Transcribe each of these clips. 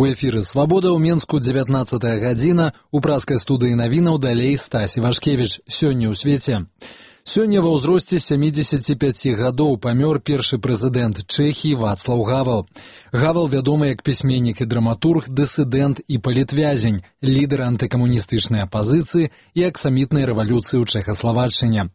У эфіры «Свабода» ў Менску 19 гадзіна, у праскай студыі навінаў далей Стась Івашкевіч. Сёння ў свеце. Сёння ва ўзросце 75 гадоў памёр першы прэзідэнт Чэхіі Вацлаў Гавел. Гавел вядомы як пісьменнік і драматург, дысідэнт і палітвязень, лідар антыкамуністычнай апазіцыі і аксамітнай рэвалюцыі ў Чэхаславаччыне.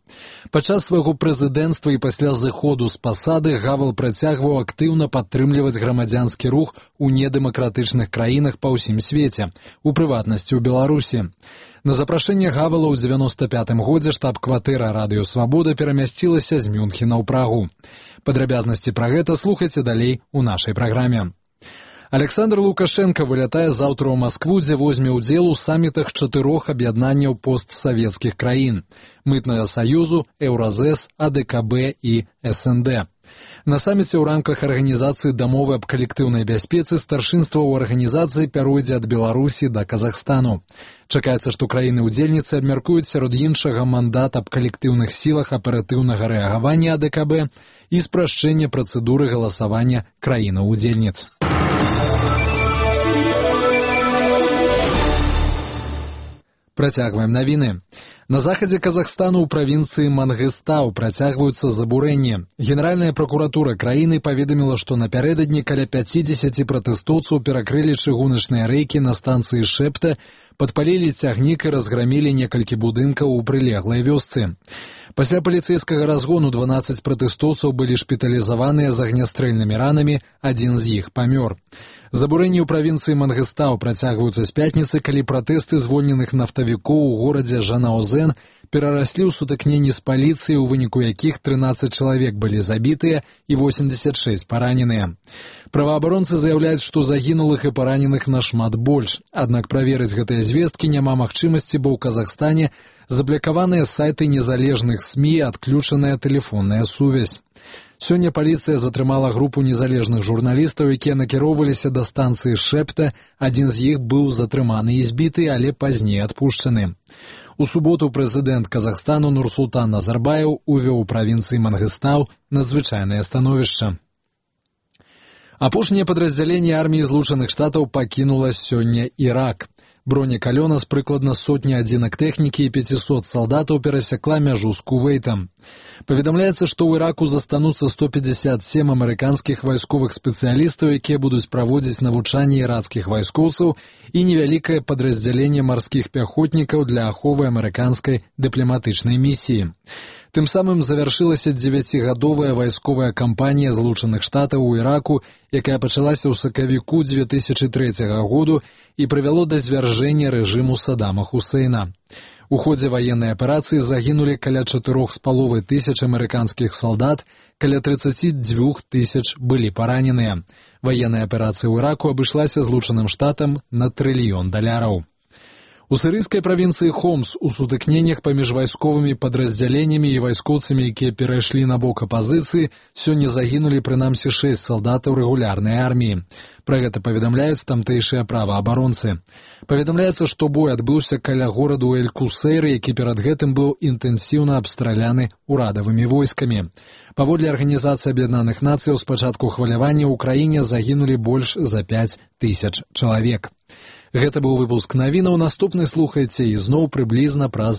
Падчас свайго прэзідэнцтва і пасля зыходу з пасады Гавел працягваў актыўна падтрымліваць грамадзянскі рух у недэмакратычных краінах па ўсім свеце, у прыватнасці ў Беларусі. На запрашэнне Гавела ў 95-м годзе штаб-кватэра радыё «Свабода» перамясцілася з Мюнхена ў Прагу. Падрабязнасці пра гэта слухайце далей у нашай праграме. Александр Лукашенко вылятае заўтра ў Маскву, дзе возьме ўдзел у самітах 4 аб'яднанняў постсавецкіх краін – Мытнага саюзу, Еўразэс, АДКБ і СНД. На саміце ў рамках арганізацыі дамовы аб калектыўнай бяспецы старшынства ў арганізацыі пяройдзе ад Беларусі да Казахстану. Чакаецца, што краіны-удзельніцы абмяркуюць сярод іншага мандат аб калектыўных сілах аператыўнага рэагавання АДКБ і спрашчэнне працэдуры галасавання краінаў-удзельніц. Працягваем навіны. На захадзе Казахстану ў правінцыі Мангыстау працягваюцца забурэнні. Генеральная пракуратура краіны паведаміла, што напярэдадні каля 50 пратэстоўцаў перакрылі чыгуначныя рэйкі на станцыі Шэпта, падпалілі цягнік і разграмілі некалькі будынкаў у прылеглай вёсцы. Пасля паліцэйскага разгону 12 пратэстоўцаў былі шпіталізаваныя з агнястрэльнымі ранамі, адзін з іх памёр. Забурэнні ў правінцыі Мангыстау працягваюцца з пятніцы, калі пратэсты звольненых нафтавікоў у горадзе Жанаозен перараслі ў сутыкненні з паліцыяй, у выніку якіх 13 чалавек былі забітыя і 86 параненыя. Праваабаронцы заяўляюць, што загінулых і параненых нашмат больш. Аднак праверыць гэтыя звесткі няма магчымасці, бо ў Казахстане заблакаваныя сайты незалежных СМІ і адключаная тэлефонная сувязь. Сёння паліцыя затрымала групу незалежных журналістаў, якія накіроўваліся да станцыі Шэпта. Адзін з іх быў затрыманы і збіты, але пазней адпушчаны. У суботу прэзідэнт Казахстану Нурсултан Назарбаев увёў у правінцыі Мангыстау надзвычайнае становішча. Апошняе падраздзяленне арміі Злучаных Штатаў пакінула сёння Ірак. Бронекалёна з прыкладна сотні адзінак тэхнікі і 500 салдатаў перасякла мяжу з Кувейтам. Паведамляецца, што ў Іраку застануцца 157 амерыканскіх вайсковых спецыялістаў, якія будуць праводзіць навучанне ірацкіх вайскоўцаў, і невялікае падраздзяленне марскіх пяхотнікаў для аховы амерыканскай дыпламатычнай місіі. Тым самым завяршылася 9гадовая вайсковая кампанія Злучаных Штатаў у Іраку, якая пачалася ў сакавіку 2003 году і прывяло да звяржэння рэжыму Саддама Хусейна. У ходзе ваеннай аперацыі загінулі каля 4,5 тысяч амерыканскіх салдат, каля 32 тысяч былі параненыя. Ваенная аперацыя ў Іраку абышлася Злучаным Штатам на $1 трыльён. У сірыйскай правінцыі Хомс у сутыкненнях паміж вайсковымі падраздзяленнямі і вайскоўцамі, якія перайшлі на бок апазіцыі, сёння загінулі прынамсі 6 салдатаў рэгулярнай арміі. Пра гэта паведамляюць тамтэйшыя праваабаронцы. Паведамляецца, што бой адбыўся каля гораду Эль-Кусейр, які перад гэтым быў інтэнсіўна абстраляны урадавымі войскамі. Паводле Арганізацыі Аб'яднаных Нацыяў, з пачатку хвалявання ў краіне загінулі больш за 5 тысяч чалавек. Гэта быў выпуск навінаў, наступны слухайце ізноў прыблізна праз